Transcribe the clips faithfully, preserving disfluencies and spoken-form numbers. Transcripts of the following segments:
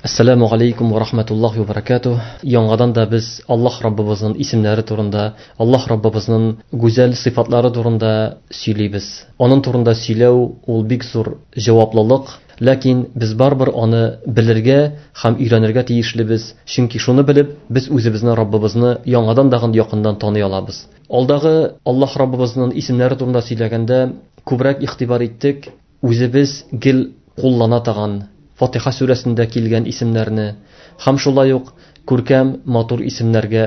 Ассаламу алейкум ва рахматуллахи ва баракатух. Яңадан да без Аллаһ Раббыбызның исемнәре турында, Аллаһ Раббыбызның гүзәл сыйфатлары турында сөйлибез. Аның турында сөйләү ул бик зур җаваплылык, ләкин без барыбер аны белергә һәм өйрәнергә тиешлебез, чөнки шуны белеп без үзебезне Раббыбызны яңадан дагын якыннан таный алабыз. Алдагы Аллаһ Раббыбызның исемнәре турында сөйләгәндә күбрәк игътибар иттек, үзебез гел куллана торган Фатиха сүрәсендә килгән исемнәрне һәм шулай ук күркәм матур исемнәргә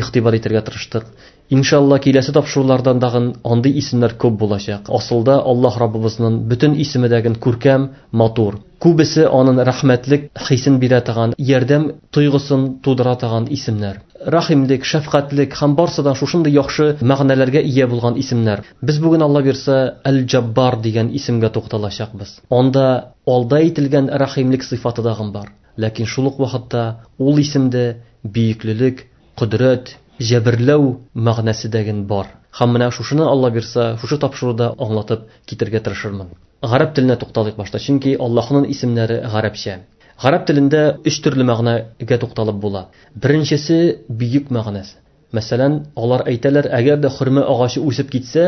игътибар итәргә тырыштык. Иншалла киләсе тапшырулардан дагын андый исемнәр күп булачак. Асылда Аллаһ Раббыбызның бөтен исеме дәген күркәм, матур. Күбесе аның рәхмәтлек хисен бирә торган, ярдәм тойгысын тудыра торган исемнәр. Рәхимлек, шәфкатьлек һәм барсыдан шушындый яхшы мәгънәләргә ия булган исемнәр. Без бүген Алла бирсә Әл-Җаббар дигән исемгә тукталачакбыз. Анда алда әйтелгән рәхимлек сыйфаты дагын бар. Ләкин шул ук вакытта ул исемдә бөеклелек, кодрәт, җәберләү мәгънәсе дәген бар. Һәм менә шушыны Алла бирсә, шушы тапшыруда аңлатып китергә тырышырмын. Гарәп теленә тукталыйк башта, чөнки Аллаһның исемнәре гарәпчә. Гарәп телендә өч төрле мәгънәгә тукталып була. Беренчесе бөек мәгънәсе. Мәсәлән, алар әйтәләр, әгәр дә хөрмә агачы үсеп китсә,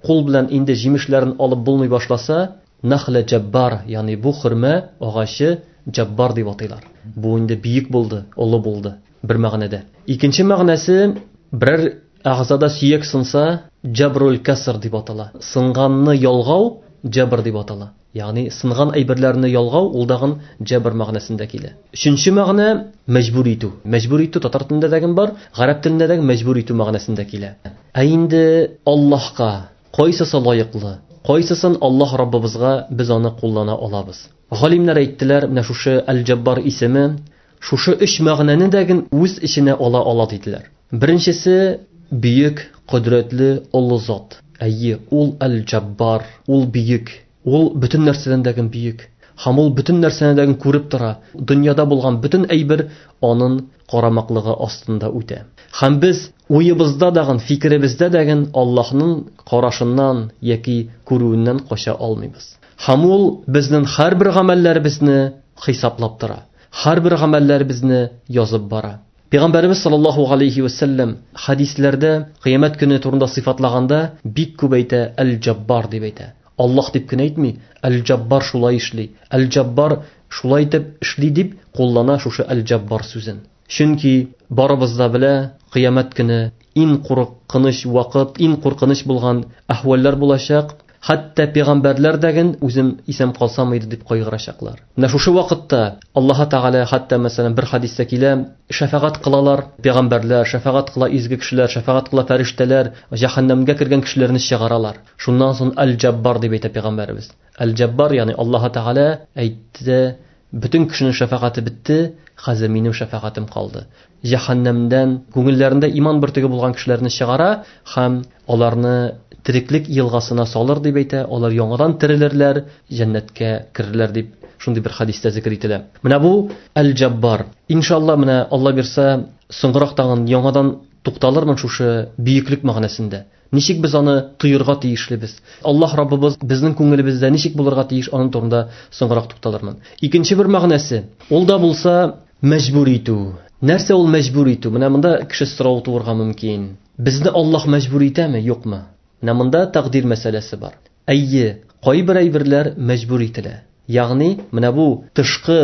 кул белән инде җимешләрен алып булмый башласа, нахла җаббар, ягъни бу хөрмә агачы җаббар дип атыйлар. Бу инде бөек булды, олы булды бер мәгънәдә. Икенче мәгънәсе, берәр агзада сөяк сынса, җабрул каср дип атала. Сынганны ялгау җабр дип атала. Ягъни сынган әйберләрне ялгау ул дагын җабр мәгънәсендә килә. Өченче мәгънә мәҗбүр итү. Мәҗбүр итү татар телендә дә бар, гарәп телендә дә мәҗбүр итү мәгънәсендә килә. Ә инде Аллаһка кайсысы лаеклы, кайсысын Аллаһ Раббыбызга без аны куллана алабыз. Галимнәр әйттеләр, менә шушы Әл-Җаббар исеме шушы өч мәгънәне дә үз эченә ала ала диделәр. Беренчесе бөек, кодрәтле, олы зат. Әйе, ул Әл-Җаббар, ул бөек. Ул бөтен нәрсәдән дә бөек. Һәм ул бөтен нәрсәне дә күреп тора. Дөньяда булган бөтен әйбер аның карамаклыгы астында үтә. Һәм без уебызда дагын, фикеребездә дагын Аллаһның карашыннан яки күрүеннән кача алмыйбыз. Һәм ул безнең һәрбер гамәлләребезне хисаплап тора. Һәрбер гамәлләребезне язып бара. Пәйгамбәребез саллаллаһу алейхи ва саллям хадисләрдә кыямәт көне турында сыйфатлаганда бик күп әйтә, Әл-Җаббар дип әйтә. Аллаһ дип кенә әйтми, Әл-Җаббар шулай эшли, Әл-Җаббар шулай итеп эшли дип куллана шушы Әл-Җаббар сүзен. Чөнки барыбыз да белә, кыямәт көне иң куркыныч вакыт, иң куркыныч булган әхвәлләр булачак. Хәтта пәйгамбәрләр дәген үзем исән калсам иде дип кайгырачаклар. Менә шушы вакытта Аллаһ Тәгалә хәтта мәсәлән бер хадистә килә, шәфәгать кылалар пәйгамбәрләр, шәфәгать кыла изге кешеләр, шәфәгать кыла фәрештәләр, җәһәннәмгә кергән кешеләрне чыгаралар. Шуннан соң Әл-Җаббар дип әйтә пәйгамбәребез. Әл-Җаббар, ягъни Аллаһ Тәгалә әйтте, бөтен кешенең шәфәгате бетте, хәзер минем шәфәгатем калды. Җәһәннәмдән күңелләрендә иман бөртеге булган кешеләрне чыгара һәм аларны тереклек елгасына салыр дип әйтә, алар яңадан терелерләр, җәннәткә керерләр дип шундый бер хадистә зикер ителә. Менә бу Әл-Җаббар. Иншалла менә Алла бирсә, соңгырак тагын яңадан тукталырмын шушы бөеклек мәгънәсендә. Ничек без аны тоерга тиешлебез? Аллаһ Раббыбыз безнең күңелебездә ничек булырга тиеш, аның турында соңгырак тукталырмын. Икенче бер мәгънәсе, ул да булса мәҗбүр итү. Нәрсә ул мәҗбүр итү? Менә монда кеше сорау туырга мөмкин. Безне Аллаһ мәҗбүр итәме, юкмы? Менә монда тәкъдир мәсьәләсе бар. Әйе, кайбер әйберләр мәҗбүр ителә. Ягъни, менә бу тышкы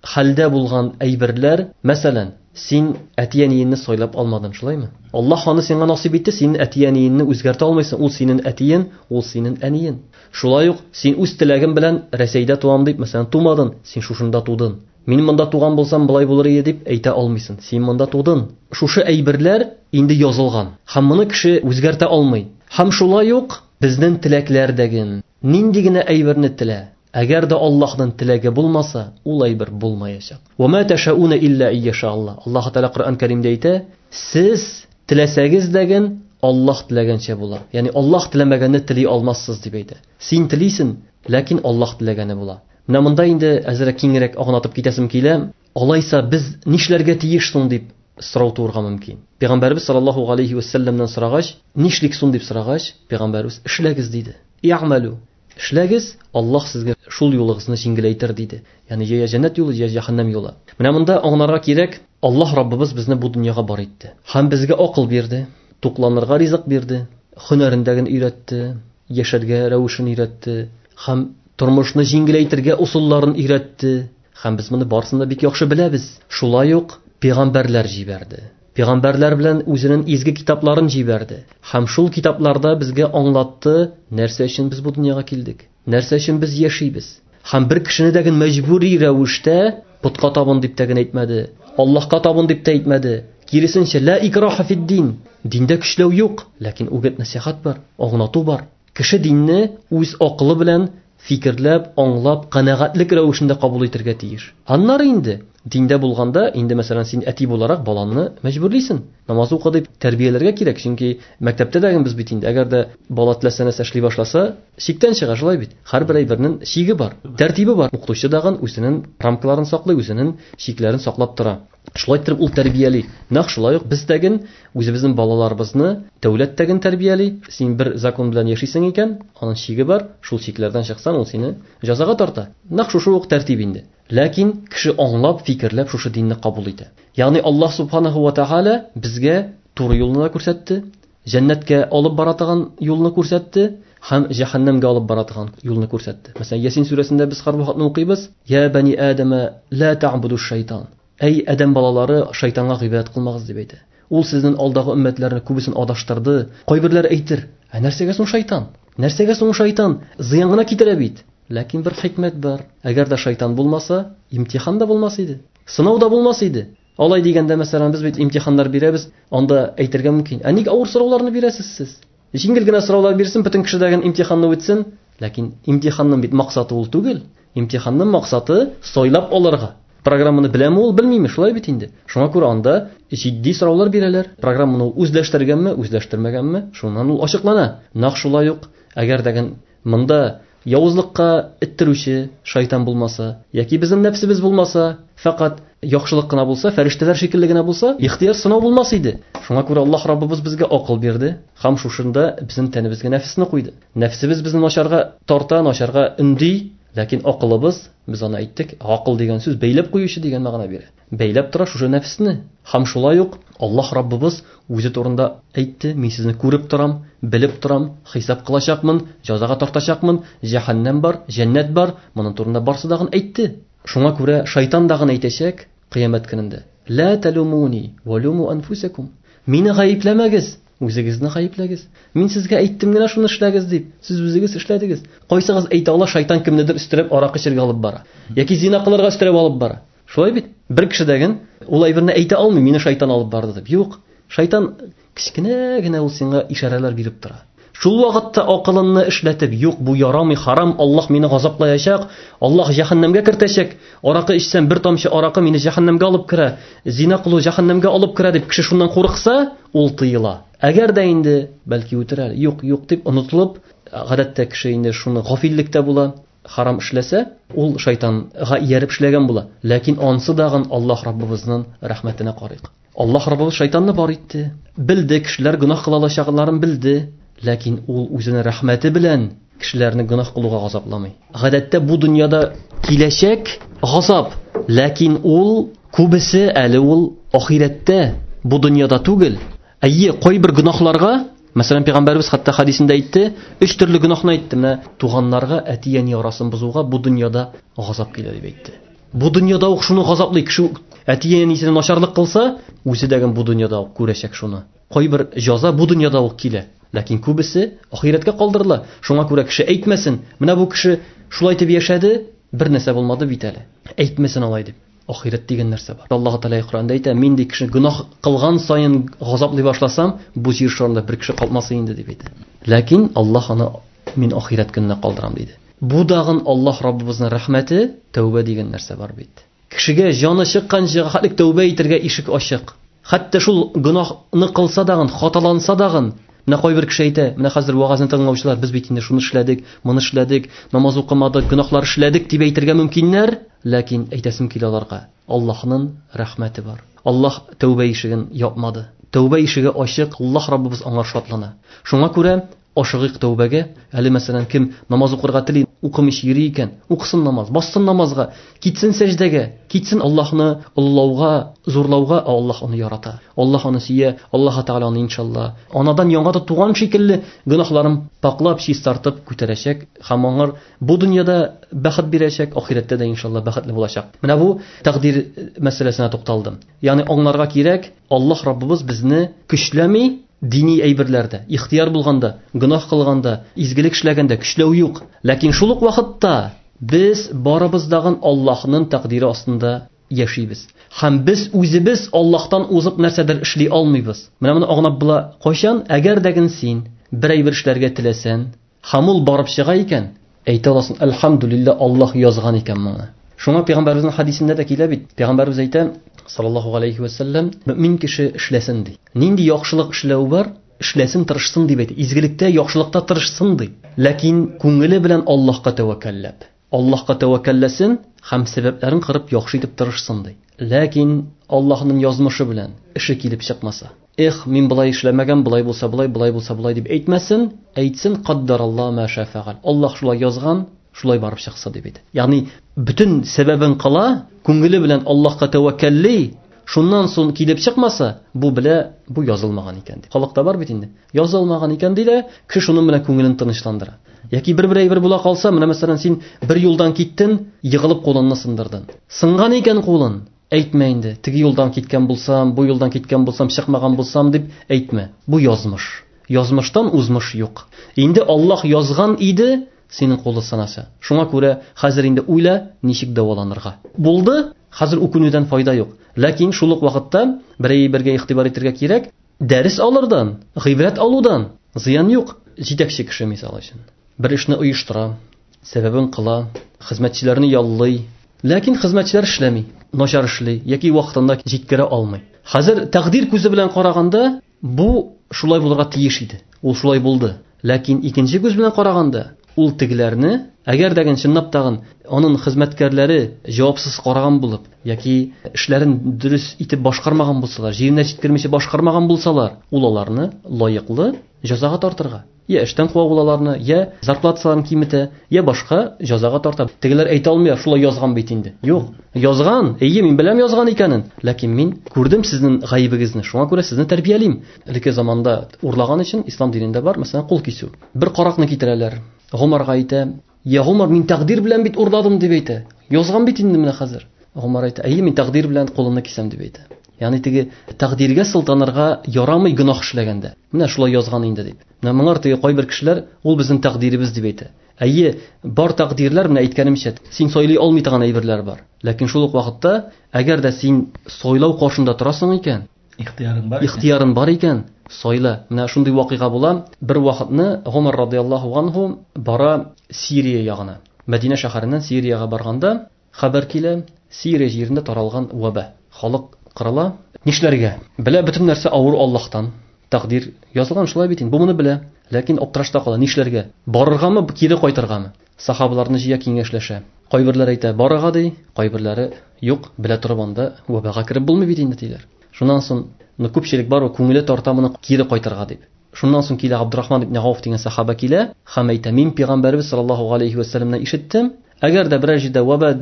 хәлдә булган әйберләр, мәсәлән, син әти-әниеңне сайлап алмадың, шулаймы? Аллаһ аны сиңа насыйп итте, син әти-әниеңне үзгәртә алмыйсың, ул синең әтиең, ул синең әниең. Шулай ук син үз теләгең белән Рәсәйдә туам дип, мәсәлән, тумадың, син шушында тудың. Мин монда туган булсам, болай булыр иде дип әйтә алмыйсың. Син монда тудың. Шушы әйберләр инде язылган. Һәм моны кеше үзгәртә алмый. Һәм шулай ук безнең теләкләрдәген нинди генә әйберне телә, әгәр дә Аллаһның теләге булмаса, ул әйбер булмаячак. Ва ма ташауна илля ияша Аллаһ. Аллаһ Тәгалә Коръән Кәримдә әйтә, сез теләсәгез дәген Аллаһ теләгәнчә була. Ягъни Аллаһ теләмәгәнне тели алмассыз дип әйтә. Син телисең, ләкин Аллаһ теләгәне була. Менә монда инде әзрәк киңрәк аңлатып китәсем килә. Алайса без нишләргә тиеш соң дип сорау туырга мөмкин. Пәйгамбәрбез саллаллаһу алейхи ва сәлләмнән сорагач, нишлик соң дип сорагач, пәйгамбәрбез эшләгез диде. И'малу. эшләгез, Аллаһ сезгә шул юлыгызны җиңеләйтер диде. Ягъни я җәннәт юлы, я җәһәннәм юлы. Менә монда аңларга кирәк, Аллаһ Раббыбыз безне бу дөньяга бар итте. Һәм безгә акыл бирде, тукланырга ризык бирде, һөнәрендәген өйрәтте, яшәргә рәвешен өйрәтте, һәм тормышны җиңеләйтергә усулларын өйрәтте. Һәм без моны барысын да бик яхшы беләбез. Шулай ук пәйгамбәрләр җибәрде. Пәйгамбәрләр белән үзенең изге китапларын җибәрде. Һәм шул китапларда безгә аңлатты, нәрсә өчен без бу дөньяга килдек, нәрсә өчен без яшибез. Һәм бер кешене дә мәҗбүри рәвештә путка табын дип тә генә әйтмәде, Аллаһка табын дип тә әйтмәде. Киресенчә, ла икраха фид-дин. Диндә көчләү юк, ләкин үгет нәсихәт бар, аңлату бар. Кеше динне үз акылы белән фикерләп, аңлап, канәгатьлек рәвешендә кабул итәргә тиеш. Аннары инде диндә булганда, инде мәсәлән син әти буларак балаңны мәҗбүрлисең. Намаз укы дип тәрбияләргә кирәк, чөнки мәктәптә дә без бит инде, әгәр дә бала теләсә нәрсә эшли башласа, чиктән чыга, шулай бит. Һәрбер әйбернең чиге бар, тәртибе бар. Укытучы дагын үзенең рамкаларын саклый, үзенең чикләрен саклап тора. Шулай итеп ул тәрбияли. Нәкъ шулай ук без дәген үзебезнең балаларыбызны дәүләт тәген тәрбияли. Син бер закон белән яшисең икән, аның чиге бар, шул чикләрдән чыксаң, ул сине җәзага тарта. Нәкъ шушы ук тәртип инде. Ләкин кеше аңлап, фикерләп шушы динне кабул итә. Ягъни Аллаһ субханаһу ва тааля безгә туры юлны да күрсәтте, җәннәткә алып бара торган юлны күрсәтте һәм җәһәннәмгә алып бара торган юлны күрсәтте. Мәсәлән, Ясин сүрәсендә без һәрвакытны укыйбыз: "Я бани Адама, ла та'буду шайтан." Әй Адәм балалары, шайтанга гыйбадәт кылмагыз дип әйтә. Ул сезнең алдагы өммәтләрне күбесен адаштырды. Кайберләр әйтер: "Ә нәрсәгә соң шайтан? Нәрсәгә соң шайтан? Зыян гына китерә бит." Ләкин бер хикмәт бар. Әгәр дә шайтан булмаса, имтихан да булмас иде. Сынау да булмас иде. Алай дигәндә, мәсәлән, без бит имтиханнар бирәбез, анда әйтергә мөмкин: "Ә ник авыр сорауларны бирәсез сез? Җиңел генә сораулар бирсен, бөтен кеше дә имтиханны үтсен." Ләкин имтиханның бит максаты ул түгел. Имтиханның максаты сайлап алырга. Программаны беләме ул, белмиме, шулай бит инде. Шуңа күрә анда җитди сораулар бирәләр. Программаны ул үзләштергәнме, үзләштермәгәнме, шуннан ул ачыклана. Нәкъ шулай ук, әгәр дә монда явызлыкка эттерүче шайтан булмаса, яки безнең нәфсебез булмаса, фәкать яхшылык кына булса, фәрештәләр шикелле генә булса, ихтыяр сынау булмас иде. Шуңа күрә Аллаһ Раббыбыз безгә акыл бирде һәм шушында безнең тәнебезгә нәфесне куйды. Нәфсебез безне начарга тарта, начарга өнди, ләкин акылыбыз, без аны әйттек, акыл дигән сүз бәйләп куючы дигән мәгънә бирә. Бәйләп тора шушы нәфесне. Һәм шулай ук Аллаһ Раббыбыз үзе турында әйтте: "Мин сезне күреп торам, белеп торам, хисап кылачакмын, җәзага тартачакмын, җәһәннәм бар, җәннәт бар." Моның турында барсы дагын әйтте. Шуңа күрә шайтан дагын әйтәчәк кыямәт көнендә: "Ла талумуни ва луму анфусакум." Мине гаепләмәгез, үзегезне гаепләгез. Мин сезгә әйттем генә шуны эшләгез дип, сез үзегез эшләдегез. Кайсыгыз әйтә ала, шайтан кемнедер өстерәп аракы эчәргә алып бара, яки зина кылырга өстерәп алып бара. Шулай бит? Бер кеше дәген ул әйберне әйтә алмый, мине шайтан алып барды дип. Юк, шайтан кечкенә генә ул сиңа ишарәләр биреп тора. Шул вакытта акылыңны эшләтеп, юк, бу ярамый, харам, Аллаһ мине газаплаячак, Аллаһ җәһәннәмгә кертәчәк, аракы эчсәм, бер тамчы аракы мине җәһәннәмгә алып керә, зина кылу җәһәннәмгә алып керә дип кеше шуннан курыкса, ул тыела. Әгәр дә инде бәлки үтерә, юк, юк дип онытылып, гадәттә кеше инде шуны гафиллектә була, харам эшләсә, ул шайтанга ияреп эшләгән була. Ләкин ансы дагын Аллаһ Раббыбызның рәхмәтенә карыйк. Аллаһ Раббыбыз шайтанны бар итте. Белде, кешеләр гөнаһ кыла алачакларын белде. Ләкин ул үзенең рәхмәте белән кешеләрне гөнаһ кылуга газапламый. Гадәттә бу дөньяда киләчәк газап, ләкин ул күбесе әле ул ахирәттә, бу дөньяда түгел. Әйе, кайбер гөнаһларга, мәсәлән, пәйгамбәрбез хәтта хәдисендә әйтте, өч төрле гөнаһны әйтте. Менә туганнарга, әти-әни арасын бозуга бу дөньяда газап килә дип әйтте. Бу дөньяда ук шуны газаплый кеше, әти-әнисенә начарлык кылса, үзе дә бу дөньяда ук күрәчәк шуны. Кайбер җәза бу дөньяда ук килә. Ләкин күбесе ахирәткә калдырыла. Шуңа күрә кеше әйтмәсен, менә бу кеше шулай дип яшәде, бер нәрсә булмады бит әле. Әйтмәсен алай дип. Ахирәт дигән нәрсә бар. Аллаһ Тәгалә Коръәндә әйтә, мин ди кеше гөнаһ кылган саен газаплый башласам, бу җир шарында бер кеше калмас инде дип әйтә. Ләкин Аллаһ аны мин ахирәт көненә калдырам диде. Бу дагын Аллаһ Раббыбызның рәхмәте, тәүбә дигән нәрсә бар бит. Кешегә җаны чыкканча хәтлек тәүбә итәргә ишек ачык. Хәтта шул гөнаһны кылса дагын, хаталанса дагын, менә кайбер кеше әйтә, менә хәзер вагазны тыңлаучылар, без бит инде шуны эшләдек, моны эшләдек, намаз укымадык, гөнаһлар эшләдек дип әйтергә мөмкиннәр, ләкин әйтәсем килә аларга, Аллаһның рәхмәте бар. Аллаһ тәүбә ишеген япмады. Тәүбә ишеге ачык, Аллаһ Раббыбыз аңа шатлана. Шуңа күрә Ашыгыйк тәүбәгә. Әле мәсәлән, кем намаз укырга тели, укымыйча йөри икән, укысын намаз, бассын намазга, китсен сәҗдәгә, китсен Аллаһны олылауга, зурлауга, Аллаһ аны ярата. Аллаһ аны сөя, Аллаһ Тәгалә аны иншалла анадан яңа да туган шикелле гөнаһларын паклап, чистартып күтәрәчәк һәм аңар бу дөньяда бәхет бирәчәк, ахирәттә дә иншалла бәхетле булачак. Менә бу тәкъдир мәсьәләсенә тукталдым. Ягъни аңларга кирәк, Аллаһ Раббыбыз безне көчләми дини әйберләрдә, ихтияр булганда, гөнаһ кылганда, изгелек эшләгәндә көчләү юк. Ләкин шул ук вакытта без барыбыз дагын Аллаһның тәкъдире астында яшибез. Һәм без үзебез Аллаһтан узып нәрсәдер эшли алмыйбыз. Менә моны аңлап була. Кайчан әгәр дә син бер әйбер эшләргә теләсәң, һәм ул барып чыга икән, әйтә аласың, әлхәмдүлилләһ, Аллаһ язган икән моны. Шуңа пәйгамбәребезнең хадисендә дә килә бит. Пәйгамбәребез әйтә, саллаллаһу алейхи ва саллям, мөмин кеше эшләсен ди. Нинди яхшылык эшләү бар, эшләсен, тырышсын дип әйтә. Изгелектә, яхшылыкта тырышсын ди. Ләкин күңеле белән Аллаһка тәвәккәлләп, Аллаһка тәвәккәлләсен һәм сәбәпләрен кырып яхшы итеп тырышсын ди. Ләкин Аллаһның язмышы белән эше килеп чыкмаса, эх, мин болай эшләмәгән, болай булса болай, болай булса болай дип әйтмәсен, әйтсен каддараллаһу ма ша фәгал. Аллаһ шулай язган, шулай барып чыкса дип әйтә. Ягъни бөтен сәбәбен кыла, күңеле белән Аллаһка тәвәккәлли, шуннан соң килеп чыкмаса, бу белә, бу язылмаган икән ди. Халыкта бар бит инде. Язылмаган икән ди дә, кеше шуның белән күңелен тынычландыра. Яки бер-бер әйбер була калса, менә мәсәлән, син бер юлдан киттең, егылып кулыңны сындырдың. Сынган икән кулың, әйтмә инде, теге юлдан киткән булсам, бу юлдан киткән булсам, чыкмаган булсам дип әйтмә. Бу язмыш. Язмыштан узмыш юк. Инде Аллаһ язган иде, синең кулы сынаса. Шуңа күрә хәзер инде уйла, ничек дәваланырга. Булды, хәзер үкенүдән файда юк. Ләкин шул ук вакытта бер әйбергә игътибар итәргә кирәк. Дәрес алырдан, гыйбрәт алудан зыян юк. Җитәкче кеше мисал өчен бер эшне оештыра, сәбәбен кыла, хезмәтчеләрне яллый. Ләкин хезмәтчеләр эшләми, начар эшли яки вакытында җиткерә алмый. Хәзер тәкъдир күзе белән караганда бу шулай булырга тиеш иде. Ул шулай булды. Ләкин икенче күз белән караганда ул тегеләрне, әгәр дә чынлап тагын аның хезмәткәрләре җавапсыз караган булып яки эшләрен дөрес итеп башкармаган булсалар, җиренә җиткермичә башкармаган булсалар, ул аларны лаеклы җәзага тартырга. Я эштән куа ул аларны, я зарплаталарын киметә, я башка җәзага тарта. Тегеләр әйтә алмый, шулай язган бит инде. Юк, язган, әйе, мин беләм язган икәнен, ләкин мин күрдем сезнең гаебегезне, шуңа күрә сезне тәрбиялим. Элекке заманда урлаган өчен ислам динендә бар, мәсәлән, кул кисү. Бер каракны китерәләр. Гомарга әйтә, я Гомар, мин тәкъдир белән бит урладым дип әйтә. Язган бит инде менә хәзер. Гомар әйтә, әйе, мин тәкъдир белән кулымны кисәм дип әйтә. Ягъни теге тәкъдиргә сылтанырга ярамый гөнаһ эшләгәндә. Менә шулай язган инде дип. Менә моңар теге кайбер кешеләр, ул безнең тәкъдиребез дип әйтә. Әйе, бар тәкъдирләр, менә әйткәнемчә, син сайлый алмый торган әйберләр бар. Ләкин шул ук вакытта, әгәр дә син сайлау каршында торасың икән, ихтиярың бар, ихтиярың бар икән, сайла. Менә шундый вакыйга була. Бер вакытны Гомар радияллаһу анһу бара Сирия ягына. Мәдинә шәһәреннән Сириягә барганда хәбәр килә, Сирия җирендә таралган ваба. Халык кырыла. Нишләргә? Белә, бөтен нәрсә авыр Аллаһтан. Тәкъдир язылган шулай бит инде. Бу моны белә, ләкин аптырашта кала. Нишләргә? Барыргамы, кире кайтыргамы? Сахабаларны җыя, киңәшләшә. Кайберләре әйтә, барырга ди, кайберләре юк, белә торып анда вабага кереп булмый бит инде диләр. Шуннан соң күпчелек бар, күңеле тарта моны кире кайтырга дип. Шуннан соң килә Абдурахман ибн Ауф дигән сахаба килә һәм әйтә, мин пәйгамбәребез саллаллаһу алейхи ва сәлләмнән ишеттем, әгәр дә берәр җирдә ваба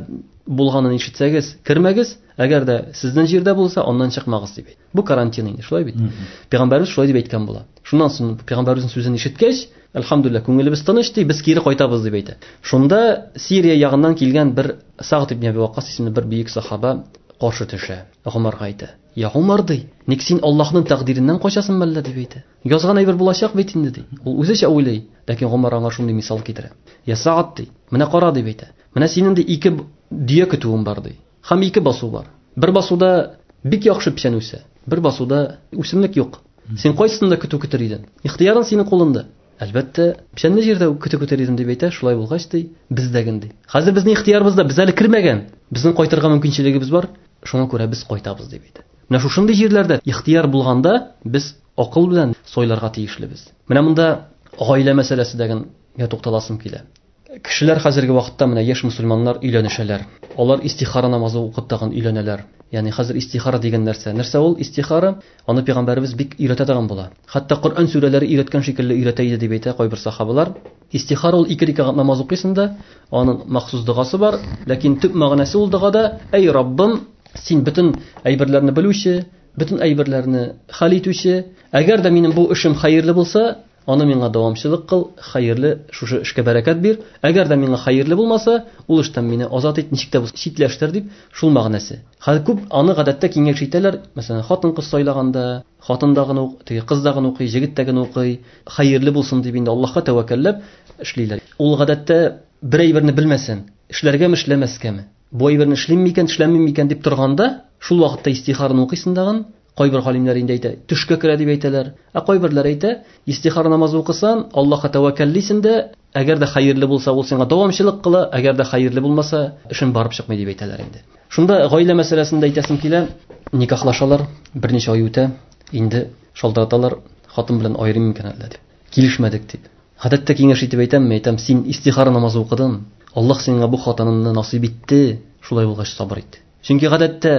булганын ишетсәгез, кермәгез, әгәр дә сезнең җирдә булса, аннан чыкмагыз дип әйтә. Бу карантин инде, шулай бит. Пәйгамбәребез шулай дип әйткән була. Шуннан соң пәйгамбәребезнең сүзен ишеткәч, әлхәмдүлилләһ, күңелебез тыныч ди, без кире кайтабыз дип әйтә. Шунда Сирия ягыннан килгән бер Сагд ибн Әби Ваккас исемле бер бөек сахаба каршы төшә. Гомарга әйтә: "Я Гомар, ди, ник син Аллаһның тәкъдиреннән качасың мәллә?" дип әйтә. Язган әйбер булачак бит инде ди. Ул үзенчә уйлый, ләкин Гомар аңа шундый мисал китерә. "Я Сагд, ди, менә кара" дип әйтә. Менә синең ди ике дөя көтүең бар ди. Һәм ике басу бар. Бер басуда бик яхшы печән үсә, бер басуда үсемлек юк. Син кайсында көтү көтер идең? Ихтиярың синең кулында. Әлбәттә, печәнле җирдә көтү көтер идем дип әйтә. Шулай булгач ди, бездәген ди. Хәзер безнең ихтиярыбызда, без әле кермәгән. Безнең кайтырга мөмкинчелегебез бар. Шуңа күрә без кайтабыз дип әйтә. Менә шушындый җирләрдә ихтияр булганда без акыл белән сайларга тиешлебез. Менә монда гаилә мәсьәләсе дигәнгә тукталасым килә. Кешеләр хәзерге вакытта менә яшь мусульманнар өйләнешәләр. Алар истихара намазы укып тагын өйләнәләр. Ягъни хәзер истихара дигән нәрсә. Нәрсә ул истихара? Аны пәйгамбәребез бик өйрәтә торган була. Хәтта Коръән сүрәләре өйрәткән шикелле өйрәтә иде дип әйтә кайбер сахабалар. Истихара ул ике рәкәгать намаз укыйсың да, аның махсус догасы бар, ләкин төп мәгънәсе ул догада: "Әй Раббым, син бөтен әйберләрне белүче, бөтен әйберләрне хәл итүче, әгәр дә минем бу эшем хәерле булса, аны миңа дәвамчылык кыл, хәерле шушы эшкә бәрәкәт бир. Әгәр дә миңа хәерле булмаса, ул эштән мине азат ит, ничек тә булса читләштер" дип, шул мәгънәсе. Хәзер күп аны гадәттә киңәш итәләр. Мәсәлән, хатын-кыз сайлаганда, хатын да гына, теге кыз да гына укый, җегет тә гына укый, хәерле булсын дип инде Аллаһка тәвәккәлләп эшлиләр. Ул гадәттә бер әйберне белмәсен, эшләргәме, эшләмәскәме? Бу әйберне эшлим микән, эшләмим микән дип торганда, шул вакытта истихараны укыйсың дагын. Кайбер галимнәр инде әйтә, төшкә керә дип әйтәләр. Ә кайберләр әйтә, истихара намазы укысан, Аллаһка тәвәккәллисең дә, әгәр дә хәерле булса, ул сиңа дәвамчылык кыла, әгәр дә хәерле булмаса, эшең барып чыкмый дип әйтәләр инде. Шунда гаилә мәсьәләсендә әйтәсем килә, никахлашалар, берничә ай үтә, инде шалтыраталар, хатын белән аерым микән әллә дип. Килешмәдек дип. Гадәттә киңәш итеп әйтәм, әйтәм, син истихара намазы укыдың, Аллаһ сиңа бу хатыныңны насыйп итте, шулай булгач сабыр ит. Чөнки гадәттә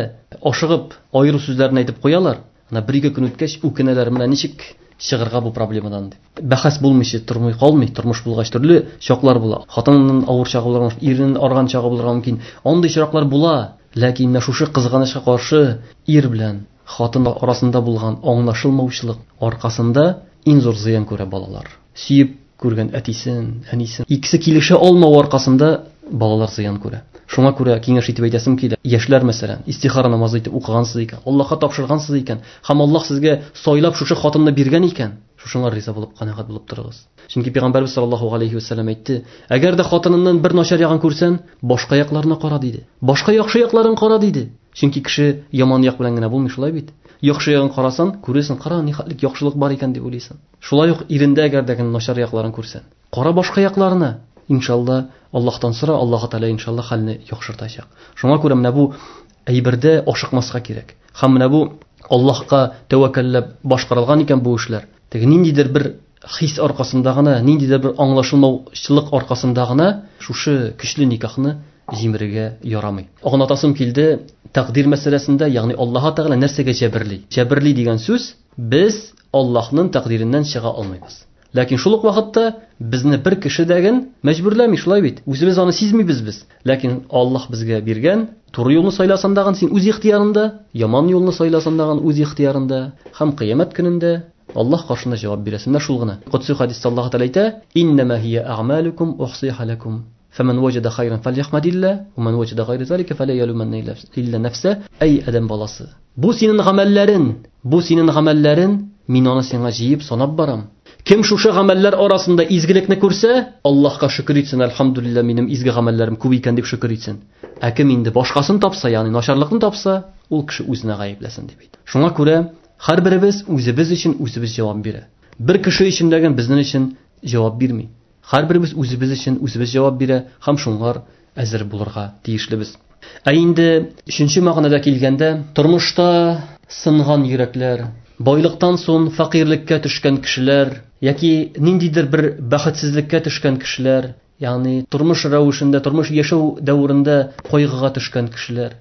ашыгып аеру сүзләрен әйтеп куялар, ана бер-ике көн үткәч үкенәләр, менә ничек чыгарга бу проблемадан дип. Бәхәс булмыйча тормый калмый, тормыш булгач төрле чаклар була. Хатынның авыр чагы булырга мөмкин, иренең арган чагы булырга мөмкин. Андый чаклар була, ләкин менә шушы кызганычка каршы ир белән хатын арасында булган аңлашылмаучылык аркасында иң зур зыян күрә балалар. Сөеп күргән әтисен, әнисен, икесе килешә алмау аркасында балалар зыян күрә. Шуңа күрә киңәш итеп әйтәсем килә. Яшьләр, мәсәлән, истихара намазы итеп укыгансыз икән, Аллаһка тапшыргансыз икән, һәм Аллаһ сезгә сайлап шушы хатынны биргән икән, шушыңа риза булып, канәгать булып торыгыз. Чөнки Пәйгамбәрбез саллаллаһу алейхи ва сәлләм әйтте, әгәр дә хатыныннан бер начар ягын күрсәң, башка якларына кара диде. Башка яхшы якларын кара диде. Чөнки кеше яман як белән генә булмый, шулай бит. Яхшы ягын карасан, күрәсең, кара, нихәтлек яхшылык бар икән дип уйлыйсың. Шулай ук ирендә әгәр дә начар якларын күрсәң, кара башка якларына. Иншалла, Аллаһтан сора, Аллаһ Тәгалә иншалла хәлне яхшыртачак. Шуңа күрә менә бу әйбердә ашыкмаска кирәк. Һәм менә бу Аллаһка тәвәккәлләп башкарылган икән бу эшләр, теге ниндидер бер хис аркасында гына, ниндидер бер аңлашылмаучылык аркасында гына шушы көчле никахны җимерергә ярамый. Аңлатасым килде тәкъдир мәсьәләсендә, ягъни Аллаһ Тәгалә нәрсәгә җәберли? Җәберли дигән сүз, без Аллаһның тәкъдиреннән чыга алмыйбыз. Ләкин шул ук вакытта безне бер кеше дәген мәҗбүрләми, шулай бит. Үзебез аны сизмибез без. Ләкин Аллаһ безгә биргән туры юлны сайласаң дагын син үз ихтыярында, яман юлны сайласаң дагын үз ихтыярында, һәм кыямәт көнендә Аллаһ каршында җавап бирәсең. Менә шул гына. Кудси хадистә Аллаһ Тәгалә әйтә: "Иннама һия а'малукум ухсиха лакум. Фаман ваҗада хайран фальяхмадилла, ва ман ваҗада гайра залика фала ялуманна илла нафса." Әй адәм баласы, бу синең гамәлләрең, бу синең гамәлләрең, мин аны сиңа җыеп санап барам. Кем шушы гамәлләр арасында изгелекне күрсә, Аллаһка шөкер итсен, әлхәмдүлилләһ, минем изге гамәлләрем күп икән дип шөкер итсен. Ә кем инде башкасын тапса, ягъни начарлыкны тапса, ул кеше үзенә гаепләсен дип әйтә. Шуңа күрә һәрберебез үзебез өчен үзебез җавап бирә. Бер кеше өчен дәген безнең өчен җавап бирми. Һәрберебез үзебез өчен үзебез җавап бирә һәм шуңар әзер булырга тиешлебез. Ә инде өченче мәгънәдә килгәндә, тормышта сынган йөрәкләр, байлыктан соң фәкыйрьлеккә төшкән кешеләр яки ниндидер бер бәхетсезлеккә төшкән кешеләр, ягъни тормыш рәвешендә, тормыш яшәү дәверендә кайгыга төшкән кешеләр.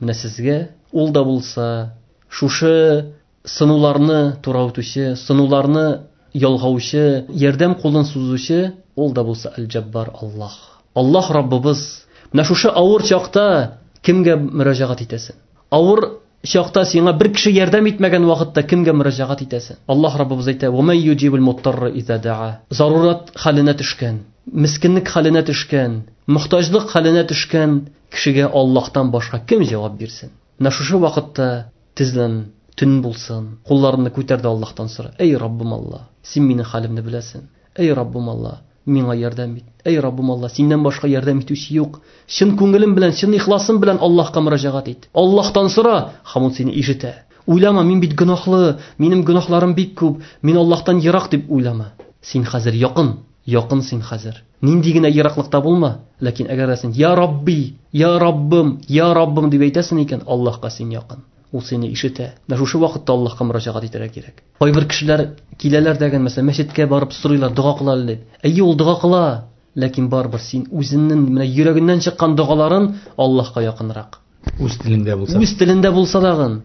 Менә сезгә ул да булса шушы сынуларны тураутучы, сынуларны ялгаучы, ярдәм кулын сузучы ул да булса Әл-Җаббар Аллаһ. Аллаһ Раббыбыз. Менә шушы авыр чакта кемгә мөрәҗәгать итәсең? Авыр чакта сиңа бер кеше ярдәм итмәгән вакытта кемгә мөрәҗәгать итәсең? Аллаһ Раббыбыз әйтә: "Ва ман юҗибул муттарра иза да'a." Зарурат хәленә төшкән, мискинлек хәленә төшкән, мохтаҗлык хәленә төшкән кешегә Аллаһтан башка кем җавап бирсен? Менә шушы вакытта тезлән, төн булсын, кулларыңны күтәр дә Аллаһтан сора. Әй Раббым Аллаһ, син минем хәлемне беләсең. Әй Раббым Аллаһ, миңа ярдәм ит. Әй Раббым Аллаһ, синнән башка ярдәм итүче юк. Чын күңелем белән, чын ихласым белән Аллаһка мөрәҗәгать ит. Аллаһтан сора, һәм ул сине ишетә. Уйлама, мин бит гөнаһлы, минем гөнаһларым бик күп, мин Аллаһтан ерак дип уйлама. Син хәзер якын, якын син хәзер. Нинди генә ераклыкта булма, ләкин әгәр син я Рабби, я Раббым, я Раббым дип әйтәсең икән, Аллаһка син якын. Ул сине ишетә. Менә шушы вакытта Аллаһка мөрәҗәгать итәргә кирәк. Кайбер кешеләр киләләр дәген, мәсәлән, мәчеткә барып сорыйлар, дога кыла әле дип. Әйе, ул дога кыла. Ләкин барыбер син үзеңнең менә йөрәгеңнән чыккан догаларын Аллаһка якынрак. Үз телеңдә булса. Үз телендә булса дагын.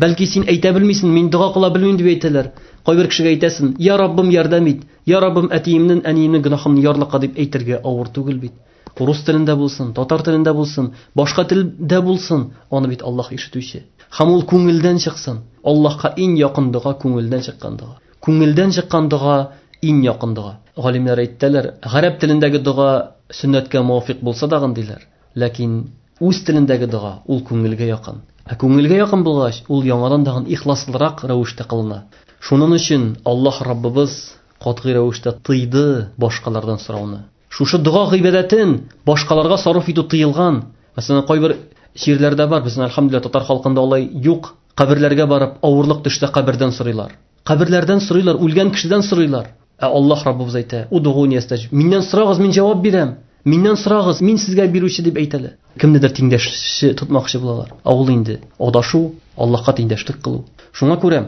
Бәлки син әйтә белмисең, мин дога кыла белмим дип әйтәләр. Кайбер кешегә әйтәсең, я Раббым ярдәм ит, я Раббым әтиемнең, әниемнең гөнаһын ярлыка дип әйтергә авыр түгел бит. Рус телендә булсын, татар телендә булсын, башка телдә булсын, аны бит Аллаһ ишетүче. Һәм ул күңелдән чыксын. Аллаһка иң якын дога күңелдән чыккан дога. Күңелдән чыккан дога иң якын дога. Галимнәр әйттеләр, гарәп телендәге дога сөннәткә муафиқ булса дагын диләр. Ләкин үз телендәге дога ул күңелгә якын. Ә күңелгә якын булгач, ул яңадан дагын ихласлырак рәвештә кылына. Шуның өчен Аллаһ Раббыбыз катгый рәвештә тыйды башкалардан сорауны. Шушы дога гыйбадәтен башкаларга сарыф итү тыелган. Мәсәлән, кайбер җирләрдә бар, безнең әлхәмдүлилләһ татар халкында алай юк. Каберләргә барып авырлык төшсә кабердән сорыйлар. Каберләрдән сорыйлар, үлгән кешедән сорыйлар. Ә Аллаһ Раббыбыз әйтә: "Удугуни астаҗиб". Миннән сорагыз, мин җавап бирәм. Миннән сорагыз, мин сезгә бирүче дип әйтәләр. Кемнедер тиңдәшче тотмакчы булалар. Ә ул инде адашу, Аллаһка тиңдәшлек кылу. Шуңа күрә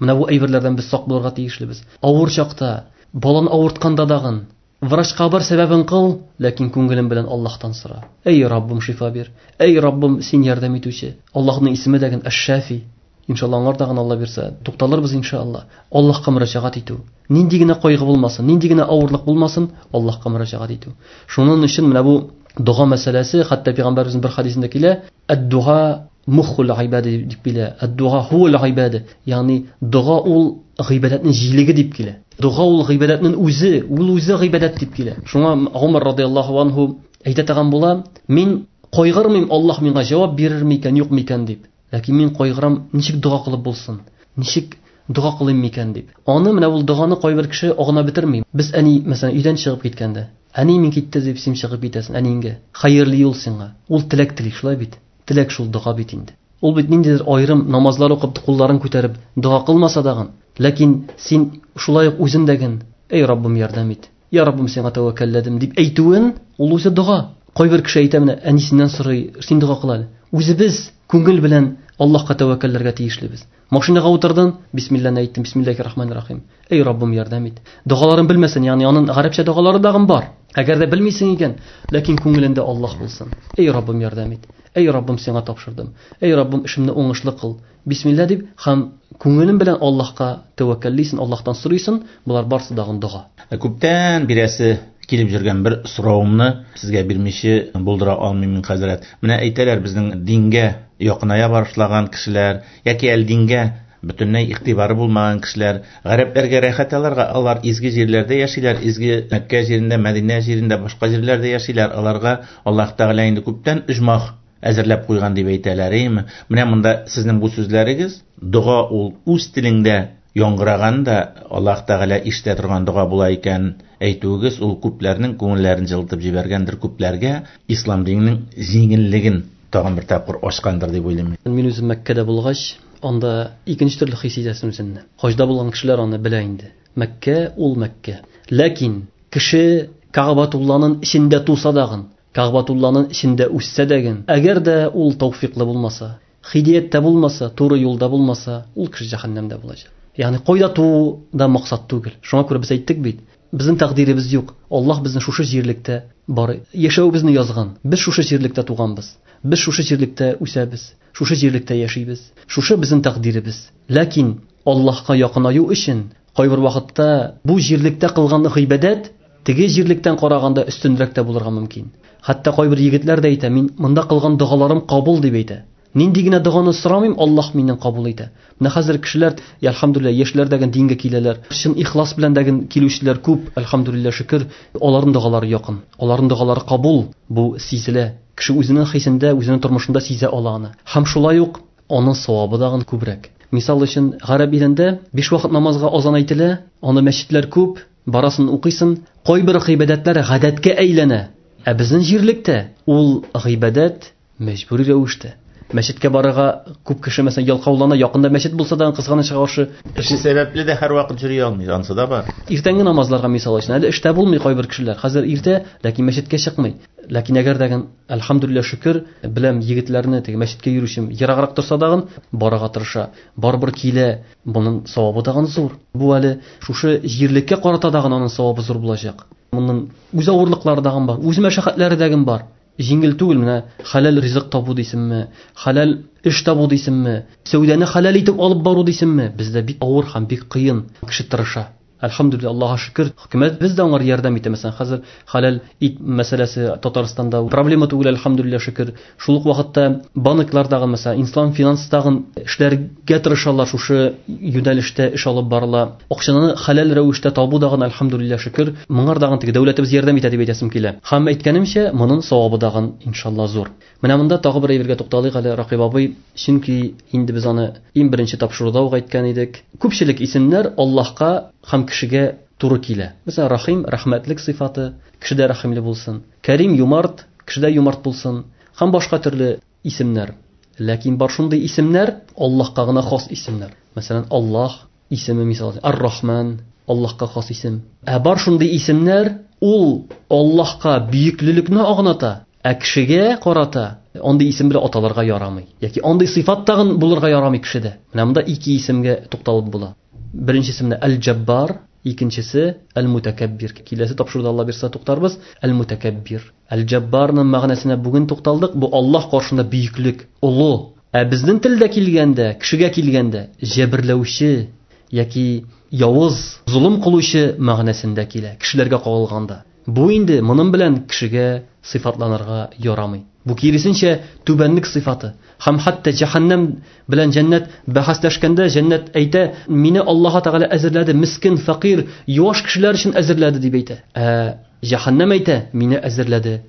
менә бу әйберләрдән без сак булырга тиешлебез. Авыр чакта, баланы авыртканда дагын врачка бар сәбәбен кыл, ләкин күңелең белән Аллаһтан сора. Эй Раббым, шифа бир. Эй Раббым, син ярдәм итүче. Аллаһның исеме дәген Әш-Шафи. Иншалла аңар дагын Алла бирсә, тукталырбыз иншалла. Аллаһка мөрәҗәгать итү. Нинди генә кайгы булмасын, нинди генә авырлык булмасын, Аллаһка мөрәҗәгать итү. Шуның өчен менә бу дога мәсьәләсе, хәтта пәйгамбәребезнең бер хадисендә килә, ад-дуа мухул гыйбада дип килә. Ад-дуа хуул гыйбада, ягъни дога ул гыйбадәтнең җилеге дип килә. Дога ул гыйбадәтнең үзе, ул үзе гыйбадәт дип килә. Шуңа Умар радияллаһу анһу әйтә торган була, мин кайгырмыйм, Аллаһ миңа җавап бирер микән, юк микән дип. Ләкин мин кайгырам, ничек дога кылып булсын, ничек дога кылыйм микән дип. Аны менә ул доганы кайбер кеше агына бетерми. Без әни, мәсәлән, өйдән чыгып киткәндә, әни мин китте дип син чыгып китәсең, әниеңгә хәерле юл сиңа. Ул теләк тели, шулай бит. Теләк шул дога бит инде. Ул бит ниндидер аерым намазлар укып, кулларын күтәреп дога кылмаса дагын, ләкин син шулай ук үзеңдәген, эй Раббым ярдәм ит, я Раббым сиңа тәвәккәлләдем дип әйтүен, ул үзе дога. Кайбер кеше әйтә менә, әнисеннән сорый, син дога кыл әле. Үзебез күңел белән Аллаһка тәвәккәлләргә тиешлебез. Машинага утырдың, бисмилләһне әйттем, бисмиллаһир рахманир рахим. Эй Раббым ярдәм ит. Догаларын белмәсен, ягъни аның гарәпчә догалары дагын бар. Әгәр дә белмисең икән, ләкин күңелендә Аллаһ булсын. Эй Раббым ярдәм ит. Эй Раббым сиңа тапшырдым. Эй Раббым эшемне уңышлы кыл. Бисмилла дип һәм күңелең белән Аллаһка тәвәккәллисең, Аллаһтан сорыйсың, болар барсы дагын дога. Күптән бирәсе килеп жүргән бер соравымны сезгә бирмичә булдыра алмыйм мин, хәзрәт. Менә әйтәләр, безнең дингә якыная башлаган кешеләр яки әле дингә бөтенләй игътибары булмаган кешеләр, гарәпләргә рәхәт аларга, алар изге җирләрдә яшиләр, изге Мәккә җирендә, Мәдинә җирендә, башка җирләрдә яшиләр. Аларга Аллаһ Тәгалә инде күптән оҗмах әзерләп куйган дип әйтәләр, әйеме? Менә монда сезнең бу сүзләрегез, дога ул үз телеңдә яңгыраган да Аллаһ Тәгалә ишетә торган дога була икән әйтүегез, ул күпләрнең күңелләрен җылытып җибәргәндер, күпләргә ислам диненең җиңеллеген тагын бер тапкыр ачкандыр дип уйлыйм. Мин үзем Мәккәдә булгач, анда икенче төрле хис итәсең үзеңне. Хаҗда булган кешеләр аны белә инде. Мәккә ул Мәккә. Ләкин кеше Кәгъбәтулланың эчендә туса дагын, Кәгъбәтулланың эчендә үссә дәген, әгәр дә ул тәүфиклы булмаса, хидияттә булмаса, туры юлда булмаса, ул кеше җәһәннәмдә булачак. Ягъни кайда туу да максат түгел. Шуңа күрә без әйттек бит, безнең тәкъдиребез юк. Аллаһ безне шушы җирлектә бар яшәвебезне язган. Без шушы җирлектә туганбыз. Без шушы җирлектә үсәбез, шушы җирлектә яшибез. Шушы безнең тәкъдиребез. Ләкин Аллаһка якынаю өчен кайбер вакытта бу җирлектә кылган гыйбадәт теге җирлектән караганда өстенрәк тә булырга мөмкин. Хәтта кайбер егетләр дә әйтә, мин монда кылган догаларым кабул дип әйтә. Нинди генә доганы сорамыйм, Аллаһ миннән кабул итә. Менә хәзер кешеләр, әлхәмдүлилләһ, яшьләр дәген дингә киләләр. Чын ихлас белән дәген килүчеләр күп, әлхәмдүлилләһ, шөкер, аларның догалары якын. Аларның догалары кабул, бу сизелә. Кеше үзенең хисендә, үзенең тормышында сизә ала аны. Һәм шулай ук аның савабы дагын күбрәк. Мисал өчен, гарәп илендә биш вакыт намазга азан әйтелә, анда мәчетләр күп, барасын укыйсың, кайбер гыйбадәтләр гадәткә әйләнә. Ә безнең җирлектә ул гыйбадәт мәҗбүри рәвештә. Мәчеткә барырга күп кеше, мәсәлән, ялкаулана, якында мәчет булса да кызганычка каршы эше сәбәпле дә һәрвакыт йөри алмый, ансы да бар. Иртәнге намазларга мисал өчен, әле эштә булмый кайбер кешеләр. Хәзер иртә, ләкин мәчеткә чыкмый. Ләкин әгәр дәген, әлхәмдүлилләһ, шөкер, беләм егетләрне теге мәчеткә йөрүчем ераграк торса дагын барырга тырыша. Барыбер килә, моның савабы дагын зур. Бу әле шушы җирлеккә карата дагын аның савабы зур булачак. Моның үз авырлыклары дагын бар, үз мәшәкатьләре дагын бар. Җиңел түгел менә хәләл ризык табу дисеңме, хәләл эш табу дисеңме, сәүдәне хәләл итеп алып бару дисеңме, бездә бик авыр һәм бик кыен. Кеше тырыша. Әлхәмдүлилләһ, Аллаһка шөкер, хөкүмәт без дә аңар ярдәм итә. Мәсәлән, хәзер хәләл ит мәсьәләсе Татарстанда проблема түгел, әлхәмдүлилләһ, шөкер. Шул ук вакытта банклардагы, мәсәлән, ислам финанстагы эшләргә тырышалар, шушы юнәлештә эш алып барыла. Акчаны хәләл рәвештә табу дагын, әлхәмдүлилләһ, шөкер, моңардагы теге дәүләтебез ярдәм итә дип әйтәсем килә. Һәм әйткәнемчә, моның савабы дагын иншалла зур. Менә монда тагы бер әйбергә тукталыйк әле, Ракыйп абый, чөнки инде без аны иң беренче тапшыруда ук әйткән идек. Күпчелек исемнәр Аллаһка һәм кешегә туры килә. Мәсәлән, Рахим рәхмәтлек сыйфаты, кешедә рәхимле булсын. Кәрим юмарт, кешедә юмарт булсын. Һәм башка төрле исемнәр. Ләкин бар шундый исемнәр Аллаһка гына хас исемнәр. Мәсәлән, Аллаһ исеме мисал, Ар-Рахман Аллаһка хас исем. Ә бар шундый исемнәр ул Аллаһка бөеклелекне аңлата, ә кешегә карата андый исем белән аталырга ярамый. Яки андый сыйфат тагын булырга ярамый кешедә. Менә монда ике исемгә тукталып була. Беренчесе менә Әл-Җаббар, икенчесе Әл-Мутакаббир. Киләсе тапшыруда Алла бирсә туктарбыз. Әл-Мутакаббир. Әл-Җаббарның мәгънәсенә бүген тукталдык. Бу Аллаһ каршында бөеклек, олы. Ә безнең телдә килгәндә, кешегә килгәндә җәберләүче яки явыз, золым кылучы мәгънәсендә килә, кешеләргә кагылганда. Бу инде моның белән кешегә сыйфатланырга ярамый. Бу киресенчә түбәнлек сыйфаты. Һәм хәтта җәһәннәм белән җәннәт бәхәсләшкәндә җәннәт әйтә, мине Аллаһ Тәгалә әзерләде, мискин, фәкыйрь, юаш кешеләр өчен әзерләде дип әйтә. Ә җәһәннәм әйтә, мине әзерләде,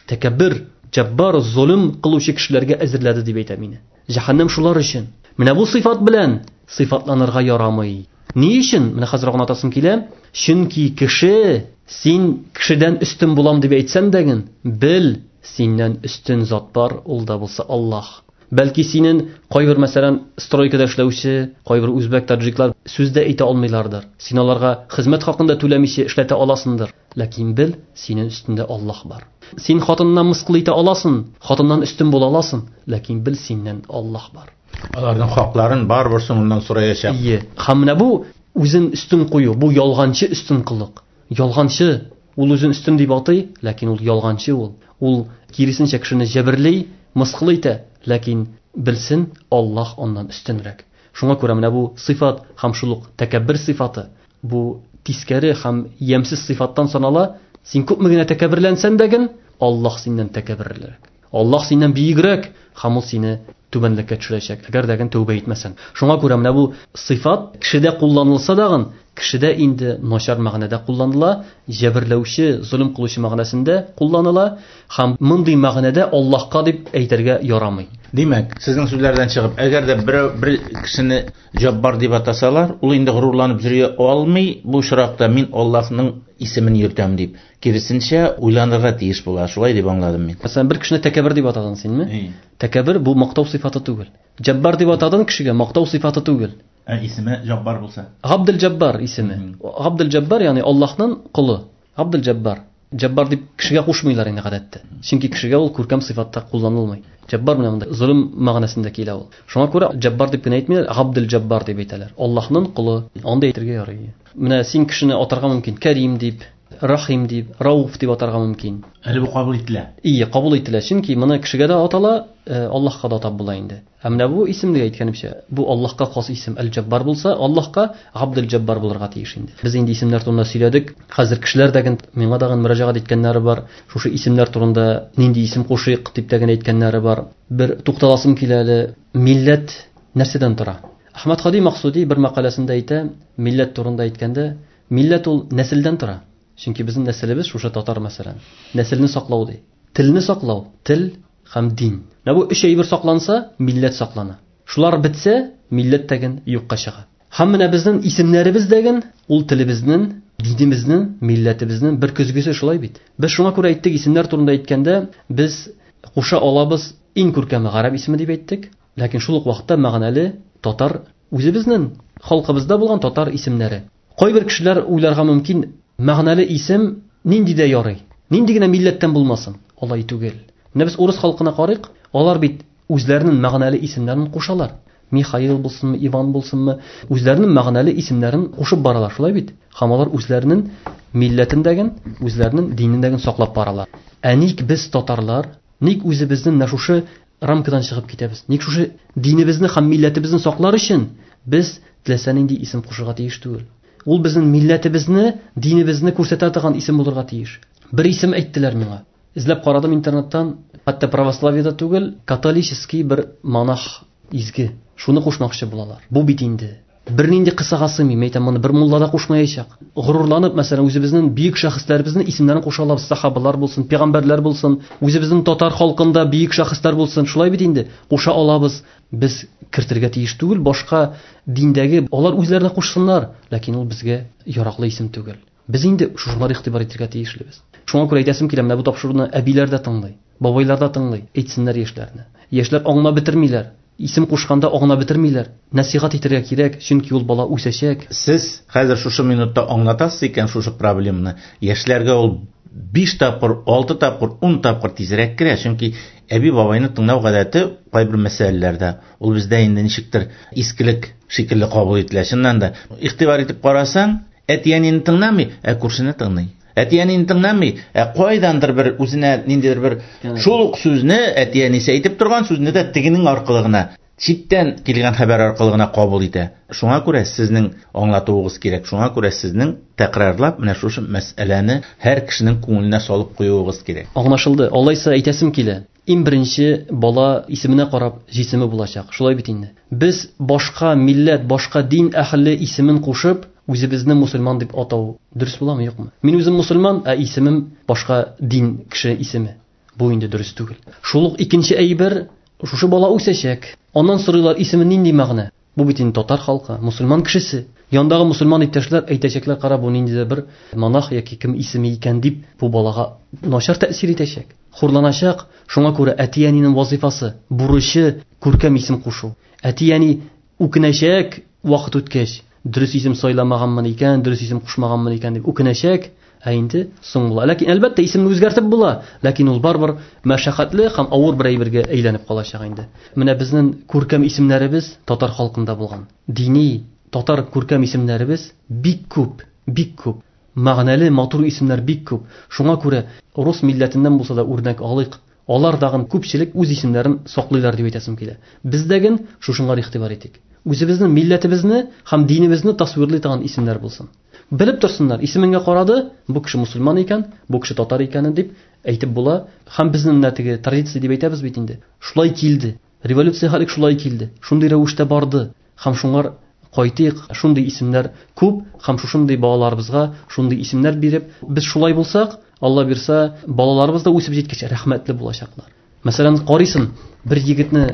тәкәббер, җаббар, золым кылучы кешеләргә әзерләде дип әйтә мине. Җәһәннәм шулар өчен. Менә бу сыйфат белән сыйфатланырга ярамый. Ни өчен? Менә хәзер аңлатасым килә. Чөнки кеше, син кешедән өстен булам дип әйтсәң дә, бел, синнән өстен зат бар, ул да булса Аллаһ. Бәлки синең кайбер, мәсәлән, стройкада эшләүче, кайбер үзбәк, таджиклар сүз дә әйтә алмыйлардыр. Син аларга хезмәт хакын да түләмичә эшләтә аласыңдыр. Ләкин бел, синең өстендә Аллаһ бар. Син хатыннан мыскыл итә аласың, хатыннан өстен була аласың, ләкин бел, синнән Аллаһ бар. Аларның хакларын барыбер соңыннан сораячак. Ие. Һәм менә бу үзен өстен кую, бу ялганчы өстен кылык. Ялганчы, ул үзен өстен дип атый, ләкин ул ялганчы ул. Ул киресенчә кешене җәберли, мыскыл итә, ләкин белсен, Аллаһ аннан өстенрәк. Шуңа күрә менә бу сыйфат һәм шул ук тәкәббер сыйфаты, бу тискәре һәм ямьсез сыйфаттан санала. Син күпме генә тәкәбберләнсәң дә, Аллаһ синнән тәкәбберлерәк. Аллаһ синнән биегрәк һәм ул сине түбәнлеккә төшерәчәк, әгәр дә тәүбә итмәсәң. Шуңа күрә менә бу сыйфат кешедә кулланылса дагын, кешедә инде начар мәгънәдә кулланыла, җәберләүче, золым кылучы мәгънәсендә кулланыла һәм мондый мәгънәдә Аллаһка дип әйтергә ярамый. Димәк, сезнең сүзләрдән чыгып, әгәр дә берәү бер кешене Җаббар дип атасалар, ул инде горурланып йөри алмый, бу очракта мин Аллаһның исемен йөртәм дип. Киресенчә, уйланырга тиеш була. Шулай дип аңладым мин. Мәсәлән, бер кешене тәкәббер дип атадың синме? Тәкәббер бу мактау сыйфаты түгел. Җаббар дип атадың кешегә мактау сыйфаты түгел. Ә исеме Җаббар булса? Габдел-Җаббар исеме. Габдел-Җаббар, ягъни Аллаһның колы. Габдел-Җаббар. Җаббар дип кешегә кушмыйлар инде гадәттә. Чөнки кешегә ул күркәм сыйфатта кулланылмый. Җаббар менә монда золым мәгънәсендә килә ул. Шуңа күрә Җаббар дип кенә әйтмиләр, Габдел-Җаббар дип әйтәләр. Аллаһның колы. Анда әйтергә ярый. Менә син кешене атарга мөмкин, Кәрим дип, Рахим дип, Рауф дип атарга мөмкин. Әле бу кабул ителә. Ие, кабул ителә. Чөнки моны кешегә дә атала, Аллаһка да атап була инде. Ә менә бу исемне әйткәнемчә, бу Аллаһка хас исем Әл-Җаббар булса, Аллаһка Габдел-Җаббар булырга тиеш инде. Без инде исемнәр турында сөйләдек. Хәзер кешеләр дә миңа да мөрәҗәгать иткәннәре бар. Шушы исемнәр турында нинди исем кушыйк дип тә әйткәннәре бар. Бер тукталасым килә әле. Милләт нәрсәдән тора? Әхмәд Һади Максуди бер мәкаләсендә әйтә, милләт турында әйткәндә, милләт ул нәселдән тора. Чөнки безнең нәселебез шушы татар мәсәлән. Нәселне саклау ди. Телне саклау, тел һәм дин. Менә бу өч әйбер сакланса, милләт саклана. Шулар бетсә, милләт тәген юкка чыга. Һәм менә безнең исемнәребез дәген, ул телебезнең, динебезнең, милләтебезнең бер көзгесе шулай бит. Без шуңа күрә әйттек, исемнәр турында әйткәндә, без куша алабыз иң күркәме гарәп исеме дип әйттек, ләкин шул ук вакытта мәгънәле татар үзебезнең халкыбызда булган татар исемнәре. Кайбер кешеләр уйларга мөмкин, мәгънәле исем нинди дә ярый, нинди генә милләттән булмасын, алай түгел. Менә без урыс халкына карыйк, алар бит үзләренең мәгънәле исемнәрен кушалар. Михаил булсынмы, Иван булсынмы, үзләренең мәгънәле исемнәрен кушып баралар, шулай бит. Һәм алар үзләренең милләтендәген, үзләренең динендәген саклап баралар. Ә ник без татарлар, ник үзебезнең менә шушы рамкадан чыгып китәбез? Ник шушы динебезне һәм милләтебезне саклар өчен без теләсә нинди исем кушырга тиеш түгел? Ул безнең милләтебезне, динебезне күрсәтә торган исем булырга тиеш. Бер исем әйттеләр миңа. Эзләп карадым интернеттан, хәтта православиедә түгел, католический бер монах изге. Шуны кушмакчы булалар. Бу бит инде бернинди кысага сыймый. Мин әйтәм, моны бер мулла да кушмаячак. Горурланып, мәсәлән, үзебезнең бөек шәхесләребезнең исемнәрен куша алабыз. Сахабалар булсын, пәйгамбәрләр булсын, үзебезнең татар халкында бөек шәхесләр булсын. Шулай бит инде куша алабыз. Без кертергә тиеш түгел башка диндәге, алар үзләренә кушсыннар, ләкин ул безгә яраклы исем түгел. Без инде шушылар игътибар итәргә тиешлебез. Шуңа күрә әйтәсем килә, менә бу тапшыруны әбиләр дә тыңлый, бабайлар да тыңлый, әйтсеннәр яшьләрне. Яшьләр аңлап бетермиләр. Исем кушканда аңлап бетермиләр. Нәсихәт итәргә кирәк, чөнки ул бала үсәчәк. Сез хәзер шушы минутта аңлатасыз икән шушы проблеманы. Яшьләргә ул биш тапкыр, алты тапкыр, ун тапкыр тизрәк керә, чөнки әби бабайны тыңлау гадәте кайбер мәсьәләләрдә ул бездә инде ничектер искелек шикелле кабул ителә. Чыннан да, игътибар итеп карасаң, әти-әнине тыңламый, ә күршене тыңлый. Әти-әнине тыңламый, ә кайдандыр бер үзенә ниндидер бер шул ук сүзне әти-әнисе әйтеп торган сүзне дә тегенең аркылы гына, читтән килгән хәбәр аркылы гына кабул итә. Шуңа күрә сезнең аңлатуыгыз кирәк. Шуңа күрә сезнең тәкрарлап менә шушы мәсьәләне һәр кешенең күңеленә салып куюыгыз кирәк. Аңлашылды. Алайса әйтәсем килә. Иң беренче бала исеменә карап җисеме булачак. Шулай бит инде. Без башка милләт, башка дин әһеле исемен кушып, үзебезне мусульман дип атау дөрес буламы, юкмы? Мин үзем мусульман, ә исемем башка дин кеше исеме. Бу инде дөрес түгел. Шул ук икенче әйбер, шушы бала үсәчәк. Аннан сорыйлар, исеме нинди мәгънә? Бу бит инде татар халкы, мусульман кешесе. Яндагы мусульман иптәшләр әйтәчәкләр, кара, бу ниндидер бер монах яки кем исеме икән дип, бу балага начар тәэсир итәчәк, хурланачак. Шуңа күрә әти-әнинең вазифасы, бурычы күркәм исем кушу. Әти-әни үкенәчәк вакыт үткәч, дөрес исем сайламаганмын икән, дөрес исем кушмаганмын икән дип үкенәчәк, ә инде соң була. Ләкин әлбәттә исемне үзгәртеп була, ләкин ул барыбер мәшәкатьле һәм авыр бер әйбергә әйләнеп калачак инде. Менә безнең күркәм исемнәребез татар халкында булган. Дини татар күркәм исемнәребез бик күп, бик күп. Мәгънәле, матур исемнәр бик күп. Шуңа күрә рус милләтеннән булса да үрнәк алыйк. Алар тагын күпчелек үз исемнәрен саклыйлар дип әйтәсем килә. Без дәген шушыңа игътибар итик. Үзебезнең милләтебезне һәм динебезне тасвирлый торган исемнәр булсын. Белеп торсыннар, исемеңә карады, бу кеше мусульман икән, бу кеше татар икән дип әйтеп була. Һәм безнең менә теге традиция дип әйтәбез бит инде. Шулай килде. Революция хәлек шулай килде. Шундый рәвештә барды. Һәм шуңар кайтыйк, шундый исемнәр күп, һәм шушындый балаларыбызга шундый исемнәр биреп, без шулай булсак, Алла бирсә, балаларыбыз да үсеп җиткәч рәхмәтле булачаклар. Мәсәлән, карыйсың, бер егетне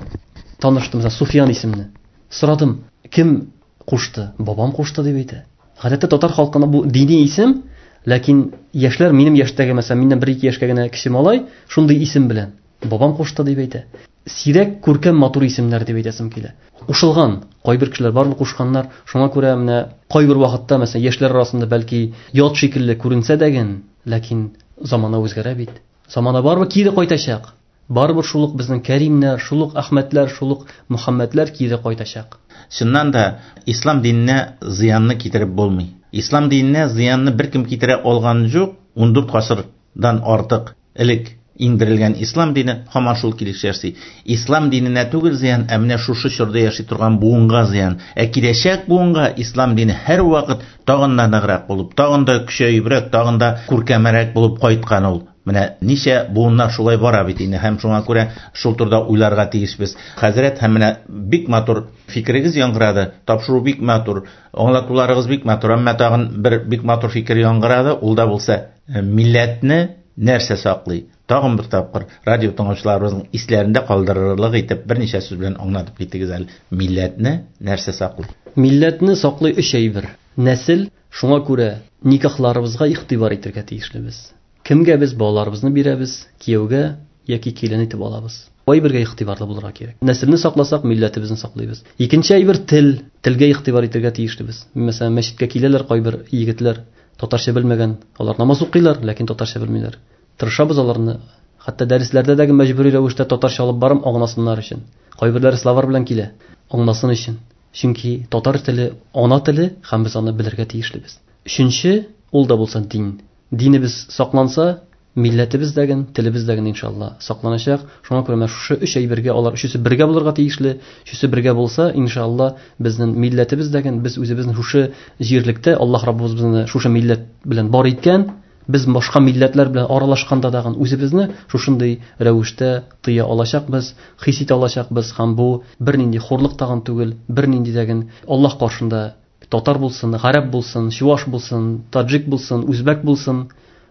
таныштым, мәсәлән, Суфиян исемле. Сорадым, кем кушты? Бабам кушты дип әйтә. Гадәттә татар халкына бу дини исем, ләкин яшьләр минем яшьтәге, мәсәлән, миннән бер-ике яшькә генә кече малай шундый исем белән бабам кушты дип әйтә. Сирәк күркәм матур исемнәр дип әйтәсем килә. Кушылган, кайбер кешеләр барыбер кушканнар. Шуңа күрә менә кайбер вакытта, мәсәлән, яшьләр арасында бәлки ят шикелле күренсә дә ген, ләкин замана үзгәрә бит. Замана барыбер кире кайтачак. Барыбер шул ук безнең Кәримнәр, шул ук Әхмәтләр, шул ук Мөхәммәтләр кире кайтачак. Чыннан да ислам диненә зыянны китереп булмый. Ислам диненә зыянны беркем китерә алган юк. ун дүрт гасырдан артык элек иңдерелгән ислам дине һаман шул килеш яши. Ислам диненә түгел зыян, ә менә шушы чорда яши торган буынга зыян. Ә киләчәк буынга ислам дине һәр вакыт тагын да ныграк булып, тагын да көчәебрәк, тагын да күркәмрәк булып кайткан ул. Менә ничә буыннар шулай бара бит инде, һәм шуңа күрә шул турыда уйларга тиешбез. Хәзрәт, һәм менә бик матур фикерегез яңгырады, тапшыру бик матур, аңлатуларыгыз бик матур, әмма тагын бер бик матур фикер яңгырады, ул да булса милләтне нәрсә саклый? Тагын бер тапкыр радио тыңлаучыларыбызның исләрендә калдырырлык итеп берничә сүз белән аңлатып китегез әле. Милләтне нәрсә саклый? Милләтне саклый өч әйбер. Нәсел, шуңа күрә никахларыбызга игътибар итәргә тиешлебез. Кемгә без балаларыбызны бирәбез, кияүгә яки килен итеп алабыз. Әйбергә игътибарлы булырга кирәк. Нәселне сакласак, милләтебезне саклыйбыз. Икенче әйбер тел. Телгә игътибар итәргә тиешлебез. Мәсәлән, мәчеткә киләләр кайбер егетләр, татарча белмәгән, алар намаз укыйлар, ләкин татарча белмиләр. Тырышабыз аларны, хәтта дәресләрдә дә мәҗбүри рәвештә татарча алып барым аңласыннар өчен. Кайберләре словар белән килә, аңласын өчен. Чөнки татар теле ана теле һәм без аны белергә тиешлебез. Өченче, Ул да булса дин. Динебез сакланса, милләтебез дәген, телебез дәген иншалла сакланачак. Шуңа күрә менә шушы өч әйбергә алар өчесе бергә булырга тиешле. Өчесе бергә булса, иншалла безнең милләтебез дәген, без үзебезнең шушы җирлектә Аллаһ Раббыбыз безне шушы милләт белән бар иткән, без башка милләтләр белән аралашканда дагын үзебезне шушындый рәвештә тыя алачакбыз, хис итә алачакбыз һәм бу бернинди хурлык тагын түгел, бернинди дәген Аллаһ каршында татар булсын, гарәп булсын, чуваш булсын, таджик булсын, үзбәк булсын,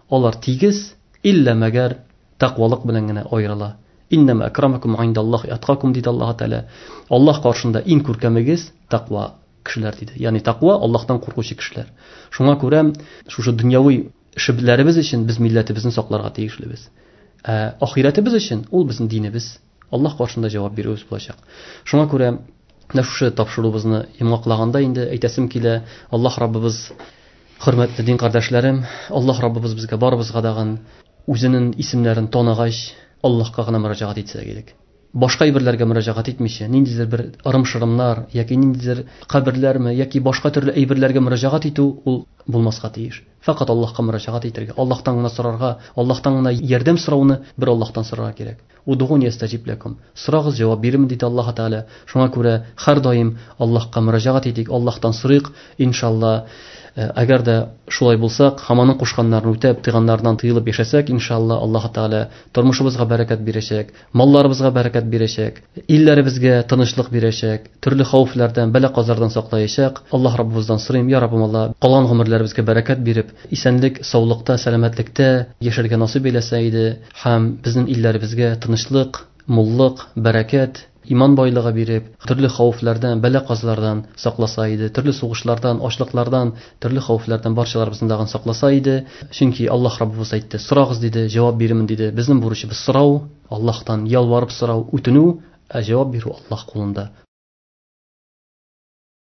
алар тигез, иллә мәгәр тәкъвалык белән генә аерыла. Иннәмә акрамакум индаллаһи аткакум диде Аллаһ Тәгалә. Аллаһ каршында иң күркәмегез тәкъва кешеләр диде. Ягъни тәкъва Аллаһтан куркучы кешеләр. Шуңа күрә шушы дөньяви эшләребез өчен без милләтебезне сакларга тиешлебез. Ә ахирәтебез өчен ул безнең динебез. Аллаһ каршында җавап бирүебез булачак. Шуңа күрә менә шушы тапшыруыбызны йомгаклаганда инде әйтәсем килә, Аллаһ Раббыбыз, хөрмәтле дин кардәшләрем, Аллаһ Раббыбыз безгә барыбызга дагын үзенең исемнәрен таныгач, Аллаһка гына мөрәҗәгать итсәк идек. Башка әйберләргә мөрәҗәгать итмичә, ниндидер бер ырым-шырымнар яки ниндидер каберләрме яки башка төрле әйберләргә мөрәҗәгать итү ул булмаска тиеш. Фақат Аллаһка мөрәҗәгать итәргә, Аллаһтан гына сорарга, Аллаһтан гына ярдәм сорауны бер Аллаһтан сорарга кирәк. Удугуни ястаҗиб лакум. Сорагыз, җавап бирермен диде Аллаһ Тәгалә. Шуңа күрә һәр даим Аллаһка мөрәҗәгать итик, Аллаһтан сорыйк, иншалла. Әгәр дә шулай булсак, һәм аның кушканнарын үтәп, тыйганнарыннан тыелып яшәсәк, иншалла Аллаһ Тәгалә тормышыбызга бәрәкәт бирәчәк, малларыбызга бәрәкәт бирәчәк, илләребезгә тынычлык бирәчәк, төрле хәвефләрдән, бәла-казардан саклаячак. Аллаһ Раббыбыздан сорыйм, я Раббым Алла, калган гомерләребезгә бәрәкәт биреп, исәнлек, саулыкта, сәламәтлектә яшәргә насыйп әйләсә иде һәм безнең илләребезгә тынычлык, муллык, бәрәкәт, иман байлыгы биреп, төрле хәвефләрдән, бәла-казалардан сакласа иде, төрле сугышлардан, ачлыклардан, төрле хәвефләрдән барчаларыбызны дагын сакласа иде. Чөнки Аллаһ Раббыбыз әйтте, сорагыз диде, җавап бирермен диде. Безнең бурычыбыз сорау, Аллаһтан ялварып сорау, үтенү, ә җавап бирү Аллаһ кулында.